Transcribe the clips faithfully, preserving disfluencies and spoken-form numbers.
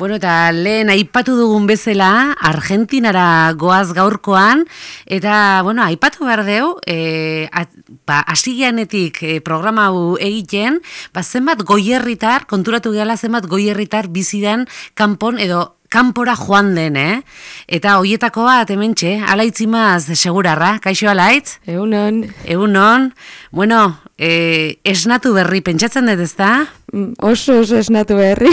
Bueno, eta lehen aipatu dugun bezala, Argentinara goaz gaurkoan, eta, bueno, aipatu behar deu, e, ba, asigianetik e, programa hau egiten, ba, zenbat goierritar, konturatu gehala zenbat goierritar bizidan kanpon edo kanpora joan den, eh? Eta hoietako bat, hementxe, Alaitzimaz segurarra, kaixo Alaitz? Egunon. Egunon. Bueno, e, esnatu berri, pentsatzen dut ezta? Oso oso esnatu berri.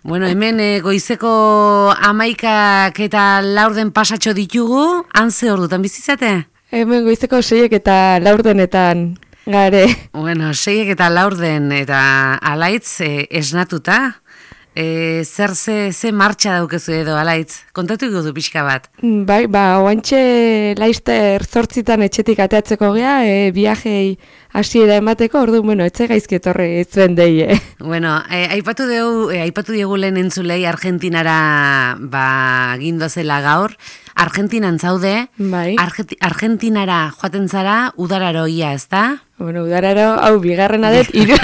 Bueno, hemen e, goizeko amaikak eta laurden pasatxo ditugu, hanze ordutan bizizate? Hemen goizeko seiek eta laurdenetan gare. Bueno, seiek eta laurden eta Alaitz e, esnatuta. E, zer ze, ze martxa daukezu edo, Alaitz? Kontatu gudu pixka bat. Bai, ba, oantxe laizter zortzitan etxetik ateatzeko gea, e, viajei hasiera emateko, ordu, bueno, etxe gaizki etorri zuen deie. Bueno, e, aipatu dugu, e, aipatu diegu lehen entzulei Argentinara ba, gindozela gaur. Argentinan zaude, bai. Argeti, Argentinara joaten zara udararoia, ez da? Bueno, udararo, hau, bigarrena dut, iru,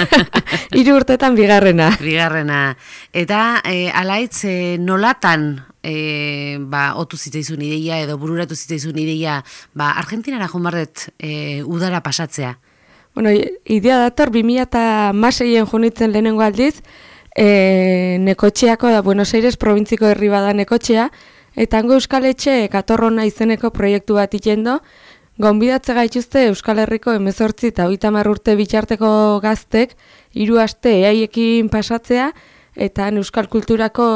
iru urtetan bigarrena. Bigarrena. Eta, e, Alaitz, e, nolatan e, ba, otu zitzaizun ideia edo bururatu zitzaizun ideia ba, Argentinara jomarret e, udara pasatzea? Bueno, idea dator, bi mila hamaseien junitzen lehenengo aldiz, e, Nekotxeako da Buenos Aires provintziko herri bada Nekotxea, eta hango Euskal Etxe Katorrona izeneko proiektu bat itendo, gonbidatze gaituzte Euskal Herriko hemezortzi eta hogeita hamar urte bitarteko gaztek, hiru aste eaiekin pasatzea, eta Euskal Kulturako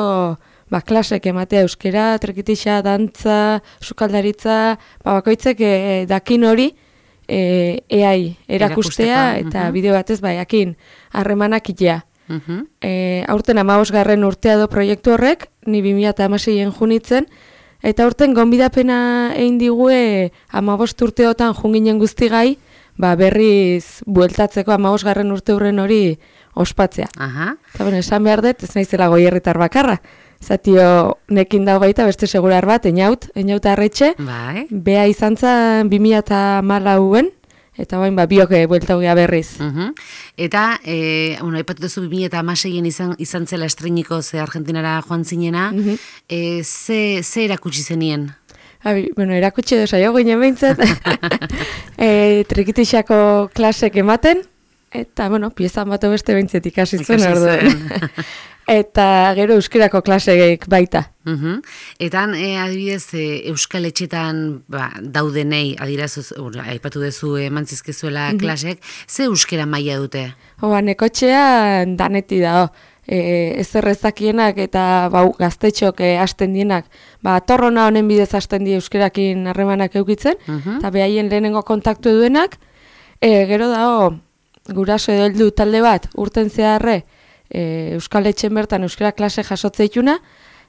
ba, klasek ematea euskera, trekitixa, dantza, sukaldaritza, ba, bakoitzek e, dakin hori e, eai erakustea, eta uh-huh. bideo batez ba, jakin harremanak itea. Uh-huh. E, aurten hamabosgarren urtea do proiektu horrek, ni bi mila hamaseien junitzen, eta aurten gonbidapena egin digue hamabost urteotan junginen guztigai, ba berriz bueltatzeko hamabosgarren urte hurren hori ospatzea. Aha. Eta bueno, esan behar dut, ez naizela goierritar bakarra. Zatio nekin dago baita beste segurar bat, einaut, einaut arretxe, bai. Bea izan zen bi mila hamalauen, eta bain, ba, bioke buelta hogea berriz. Uh-huh. Eta, e, bueno, aipatu duzu bi mila hamaseien izan, izan zela estreiniko ze Argentinara joan zinena, uh-huh. e, ze, ze erakutsi zenien? Abi, bueno, erakutsi edo saio ginen behintzat, e, trekitixako klasek ematen, eta, bueno, piezan bat beste behintzat ikasi zuen orduan. Eta gero euskerako klaseek baita. Uh-huh. Etan, e, adibidez, e, Euskal Etxetan ba, daudenei, adirazuz, aipatu dezu emantzizkezuela uh-huh. klasek, ze euskera maila dute? Hoa, Nekotxea daneti da, e, ez errezakienak eta ba, gaztetxok e, hasten dienak, ba, Torrona honen bidez hasten die euskerakin harremanak eukitzen, uh-huh. eta behaien lehenengo kontaktu duenak, e, gero dago, guraso edo heldu talde bat, urten zeharre, E, Euskal Etxen bertan euskera klase jasotzeituna,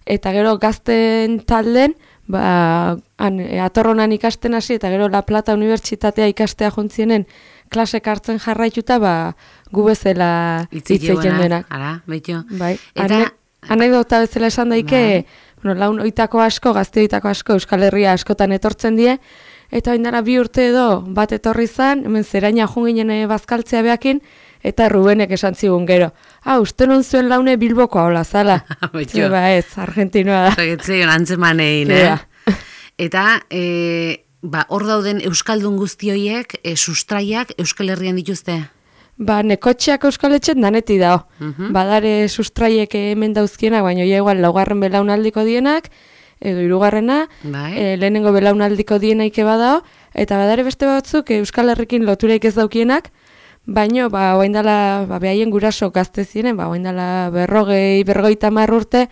eta gero gazten talden, ba, an, e, Atorronan ikasten hasi, eta gero La Plata Unibertsitatea ikastea jontzienen klasek hartzen jarraituta, ba, gu bezala hitzeiten denak. Ara, betio. Bai, eta... anekdota bezala esan daike, bai. Bueno, laun oitako asko, gazte oitako asko, Euskal Herria askotan etortzen die, eta oindara bi urte edo bat etorri zan, hemen zeraina junginen bazkaltzea behakin, eta Rubenek esan zigun gero. Ah, uste non zuen laune Bilboko hola zala. Ba ez, Argentinoa da. Zagetzeion antzemanein, eh? Eta, e, ba, hor dauden Euskaldun guztioiek, e, sustraiak Euskal Herrian dituzte? Ba, Nekotxeak Euskal Etxen daneti dao. Uh-huh. Badare sustraiek hemen dauzkienak, baina ja igual laugarren belaunaldiko dienak, edo hirugarrena, bai. e, lehenengo belaunaldiko dienaike badao, eta badare beste batzuk Euskal Herrikin lotureik ez daukienak, baino, ba, oaindala, ba, behaien guraso gazte ziren, ba, oaindala berrogei, berrogeita hamar urte,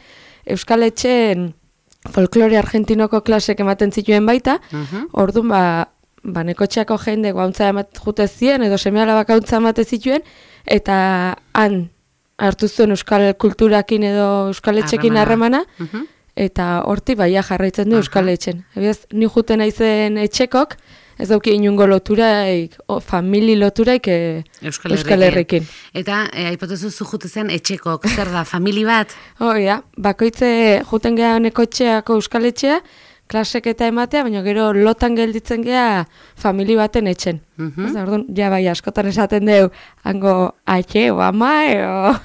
Euskal Etxen folklore argentinoko klasek ematen zituen baita, uh-huh. orduan, ba, ba, Nekotxeako jende guauntza emat jute zien, edo semeala bakauntza emate zituen, eta han hartu zuen Euskal kulturakin edo Euskal Etxekin harremana, uh-huh. eta horti baia jarraitzen du uh-huh. Euskal Etxen. Ebiaz, ni juten aizen etxekok, ez dauki inungo loturaik, o, famili loturaik e, Euskal, Euskal Herrikin. Eta, e, aipatuzu zu jute zen etxekok, zer da, famili bat? Hoi da, bakoitze juten geha Nekotxeako Euskal Etxea, klasek eta ematea, baina gero lotan gelditzen geha famili baten etxen. Uh-huh. Ez da, orduan, ja bai askotan esaten deu, hango atxe o ama, eo...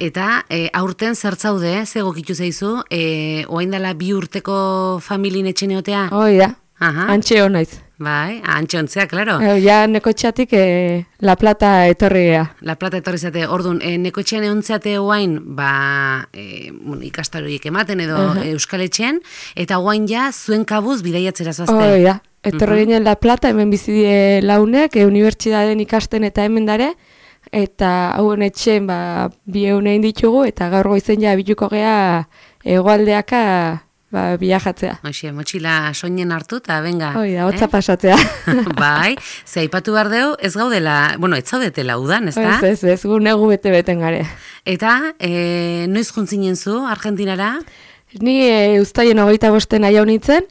Eta e, aurten zertzaude, ze gokitu zaizu, e, oain dela bi urteko familin etxeneotea? Hoi da, antxe honaiz. Bai, antxe ontzea, klaro. E, ja, nekotxeatik e, La Plata etorria. La Plata etorri zate, orduan, e, nekotxean eontzeate oain, ba, e, bueno, ikastaroik ematen edo uh -huh. Euskal Etxean, eta oain ja, zuen kabuz bidaiatzera zoazte. Hoi da, etorri uh -huh. ginen La Plata, hemen bizidie launek, e, unibertsitateen ikasten eta hemen dare, eta hauen etxen ba, bi egunein ditugu, eta gaur goizen ja bituko gea hegoaldeaka ba, biajatzea. Hoxe, motxila soinen hartu eta benga. Hoi da, hotza eh? pasatzea. Bai, ze aipatu behar deu, ez gaudela, bueno, ez zaudetela udan, ez da? Ez, ez, ez, gu negu bete-beten gare. Eta, e, noiz juntzinen zu, Argentinara? Ni e, ustaien hogeita bosten nahi hau nintzen,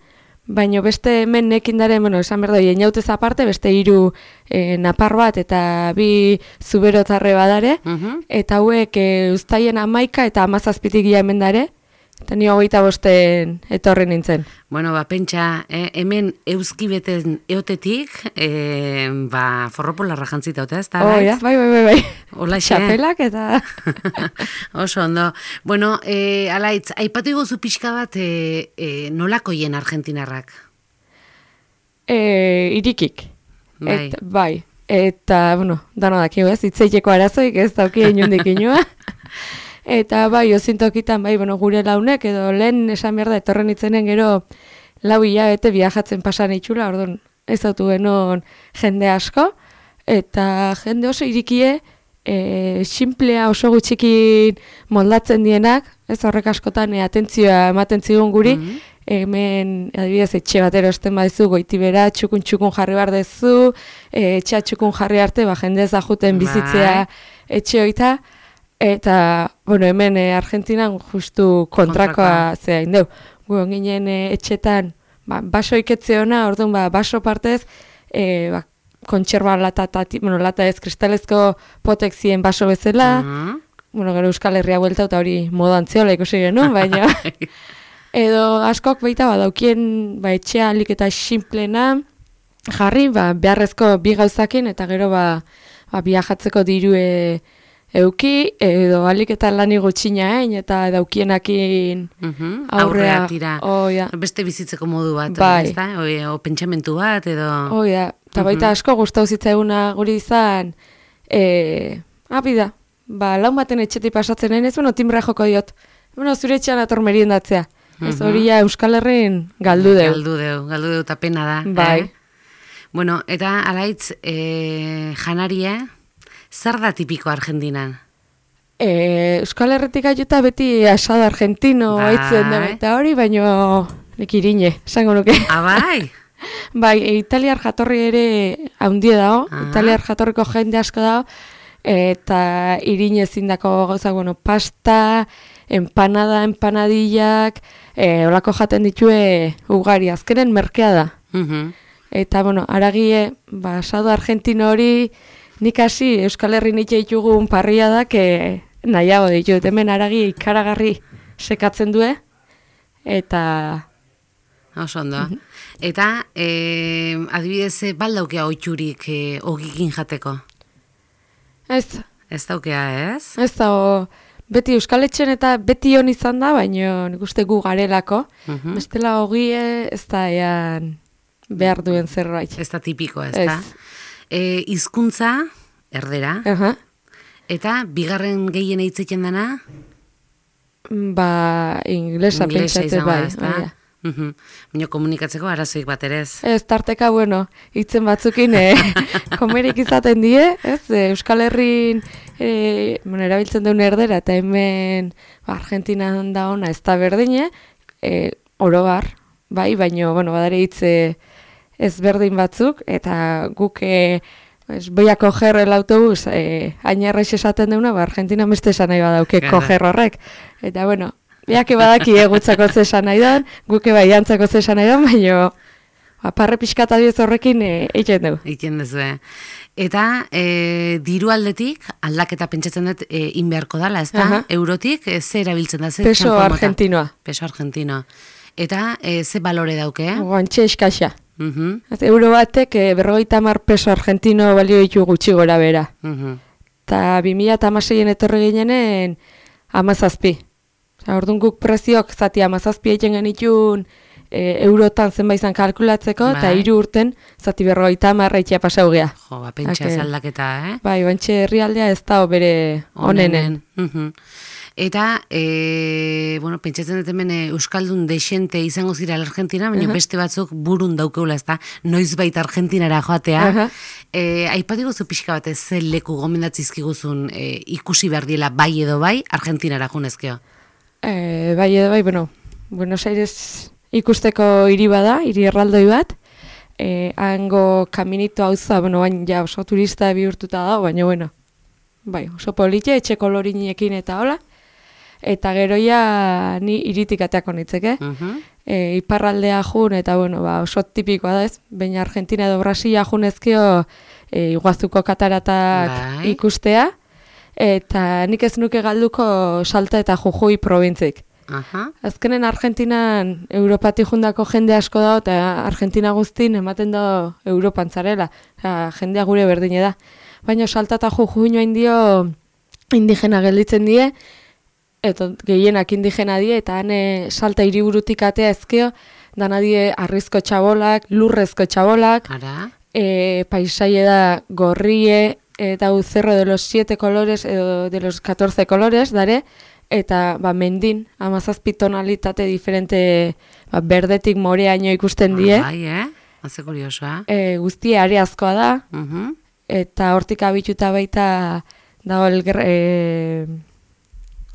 baina beste hemen nekin daren, bueno, esan behar doi, eniautez aparte, beste hiru e, napar bat eta bi zuberotarre badare, uh -huh. eta hauek e, ustaien amaika eta amazazpitik ia hemen dare, eta ni hogeita bosten etorri nintzen. Bueno, ba, pentsa, eh, hemen euskibeten eotetik, eh, ba, forropolarra jantzita otea, ez da? Oh, ja, bai, bai, bai, bai. Hola, Txapelak eta... Oso, ondo. Bueno, eh, alaitz, aipatu iguzu pixka bat eh, eh, nolakoien argentinarrak? E, irikik. Bai. Et, bai. Eta, bueno, dano dakio ez, itzeiteko arazoik ez dauki inundik inua. Eta bai, ozintokitan, bai, bueno, gure launek, edo lehen esan behar da, etorren itzenen gero lau hilabete viajatzen pasan itxula, orduan ez autu genon jende asko, eta jende oso irikie, e, simplea oso gutxikin moldatzen dienak, ez horrek askotan e, atentzioa ematen zigun guri, mm -hmm. hemen, adibidez, etxe batero esten badizu, goitibera, txukun-txukun jarri behar dezu, e, etxea txukun jarri arte, ba, jende ezaguten bizitzea etxe hoita, eta, bueno, hemen e, Argentinan justu kontrakoa zehain deu. Gu ginen e, etxetan, ba, baso iketze hona, orduan, ba, baso partez, e, ba, kontxerba lata, tati, bueno, lata ez kristalezko potek ziren baso bezala, uh -huh. bueno, gero Euskal Herria buelta eta hori modan zeola ikusi genuen, baina, edo askok baita, ba, daukien, ba, etxea alik eta simplena, jarri, ba, beharrezko bi gauzakin, eta gero, ba, ba biajatzeko dirue euki, edo alik eta lani gutxina egin, eta daukienakin uh-huh. aurrea. Aurrea tira. Oh, ja. Beste bizitzeko modu bat, bai. ez da? O, o pentsamentu bat, edo... Oh, ja. Eta baita asko gustau zitzaiguna guri izan, e, abida, ba, laun baten etxetik pasatzen nahi, ez, bueno, timbra joko diot, bueno, zure etxean ator meriendatzea. Ez hori ja Euskal Herrin galdu deu. Galdu deu, galdu deu, eta pena da. Bai. Eh? Bueno, eta alaitz, e, janaria, zer da tipiko Argentinan? E, Euskal Herretik ajuta beti asado argentino bai. Aitzen da, eta hori, baino nik irine, esango nuke. Ah, bai? Bai, e, italiar jatorri ere haundie dago, ah. italiar jatorriko jende asko dago, eta irine ezindako gauza, bueno, pasta, empanada, empanadillak, e, olako jaten ditue ugari, azkenen merkea da. Uh-huh. Eta, bueno, aragie, ba, asado argentino hori, nik hasi Euskal Herri nitxe ditugun parria da, que nahiago ditut, hemen aragi ikaragarri sekatzen due, eta... Oso ondo. Uh-huh. Eta, e, adibidez, baldaukea oitxurik e, ogikin jateko? Ez. Ez daukea, ez? Ez da, beti Euskal Etxen eta beti hon izan da, baina nik uste gu garelako. Uh-huh. Bestela ogie ez da ean behar duen zerbait. Ez da tipiko, ez, ez. da? E, hizkuntza erdera. Uh-huh. Eta, bigarren gehien eitzeken dana? Ba, inglesa pentsatzen bai. Ez da? Uhum. Baina komunikatzeko arazoik bat ere ez. Ez, tarteka, bueno, hitzen batzukin eh, komerik izaten die, ez, Euskal Herrin eh, bueno, erabiltzen duen erdera, eta hemen ba, Argentinan da ona ez da berdine, eh, orobar, bai, baina, bueno, badare hitze ez berdin batzuk, eta guk eh, pues, voy a coger el autobus, eh, ainarrez esaten deuna, ba, Argentina beste esan nahi badauke coger horrek, eta, bueno, biak badaki egutzako zesan nahi dan, guke bai antzako zesan nahi dan, baina aparre pixka eta diez horrekin egiten dugu. Egiten duzu, eh? Eta e, diru aldetik, aldaketa pentsatzen dut e, inbeharko dala, ez da? Uh-huh. Eurotik, e, ze erabiltzen da? Ze Peso argentinoa. Peso argentinoa. Eta e, ze balore dauke? Eh? Guantxe eskaxa. Uh-huh. Euro batek e, berrogeita hamar peso argentino balio ditu gutxi gora bera. Uh-huh. Eta eta bi mila hamaseien etorri ginenen hamazazpi. Osea, orduan guk preziok zati hamazazpi egiten genitun e, eurotan zenbait izan kalkulatzeko, eta bai. hiru urten zati berrogeita hamar eitzia pasau gea. Jo, ba, pentsa ez aldaketa, eh? Bai, bantxe herrialdea ez da bere onenen. Mhm. Eta, e, bueno, pentsatzen dut hemen Euskaldun desente izango zira Argentina, baina uh-huh. beste batzuk burun daukeula, ez da, noiz baita Argentinara joatea. Uh-huh. e, Aipatiko zu pixka batez, ze leku gomendatzizkiguzun e, ikusi behar diela bai edo bai Argentinara junezkeo? E, bai edo bai, bueno, Buenos Aires ikusteko hiri bada, hiri erraldoi bat, e, hango kaminito hauza, bueno, baina ja oso turista bihurtuta da, baina, bueno, bai, oso politxe, etxe kolorinekin eta hola, eta geroia ni iritik ateako nitzeke. Uh-huh. e, iparraldea jun, eta bueno, ba, oso tipikoa da ez, baina Argentina edo Brasilia junezkio e, iguazuko kataratak bai. Ikustea, eta nik ez nuke galduko Salta eta Jujuy probintzik. Uh-huh. Azkenen Argentinan Europatik jundako jende asko da, eta Argentina guztin ematen da Europan zarela, ja, jendea gure berdine da. Baina Salta eta Jujuy noain dio indigena gelditzen die, eta gehienak indigena die, eta hane Salta hiriburutik atea ezkeo, dana die arrizko txabolak, lurrezko txabolak, e, paisaie da gorrie, eta uzerro de los siete colores, edo de los catorce colores, dare, eta ba, mendin, hamazazpi tonalitate diferente, ba, berdetik moreaino ikusten die. Bai, eh? Haze kuriosoa. E, guztie areazkoa da, uh-huh. eta hortik abituta baita dago el e,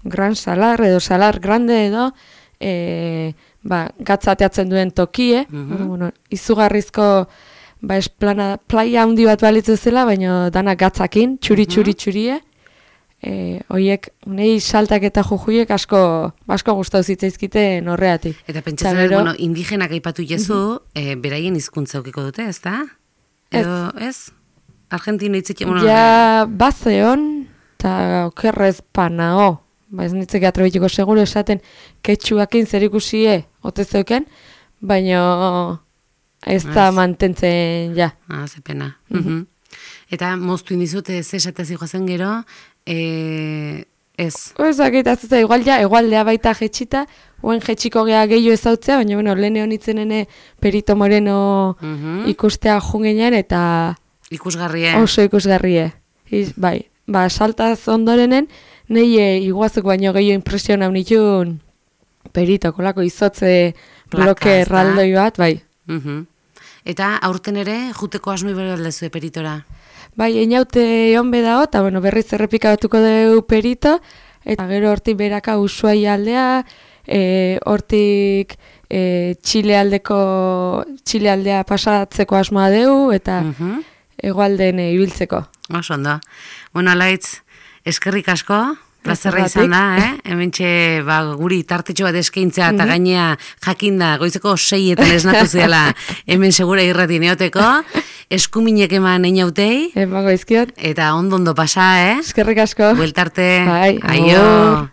Gran Salar, edo Salar Grande edo, e, ba, gatzateatzen duen tokie, uh-huh. bueno, izugarrizko ba, esplana, playa handi bat balitzu zela, baina dana gatzakin, txuri-txuri txurie, e, oiek, nei Saltak eta Jujuiek asko, asko gustau zitzaizkite horreatik. Eta pentsatzen, gero, bueno, indigenak aipatu jezu, uh-huh. e, beraien hizkuntza ukiko dute, ez da? Edo, ez? ez? Argentina hitzik, bueno, ja, bazeon, eta okerrez panao, ba ez nitzek atrabituko seguro esaten ketxuakin zer ikusie otezeuken, baina ez da mantentzen ja. Ah, ze pena. Uh-huh. Uh-huh. Eta moztu indizute ez esatez joazen gero, e, ez? Ez akitazutza, igual ja, egualdea baita jetxita, oen jetxiko gea gehiago ezautzea, baina bueno, lehen honitzen Perito Moreno uh-huh. ikustea jungenean, eta ikusgarrie. Oso ikusgarrie. Iz, bai, ba, Saltaz ondorenen, nahi e, iguazuk baino gehiago impresiona unitun Perito, kolako izotze bloke erraldoi bat, bai. Uh-huh. Eta aurten ere, juteko asmoi bere aldezu Peritora? Bai, einaute honbe dago, eta bueno, berriz errepikatuko dugu Perito, eta gero hortik beraka Ushuai aldea, e, hortik e, Txile aldeko, Txile aldea pasatzeko asmoa dugu, eta uh-huh. hegoalden e, ibiltzeko. Oso ondo. Bueno, Alaitz, eskerrik asko, plazerra izan da, eh? Hementxe, ba, guri tartetxo bat eskaintzea eta gainea jakinda, goizeko seietan esnatu zehala hemen segura irrati neoteko, eskuminek eman einautei. Emago izkiot. Eta ondo ondo pasa, eh? Eskerrik asko. Bueltarte. Bai, aio.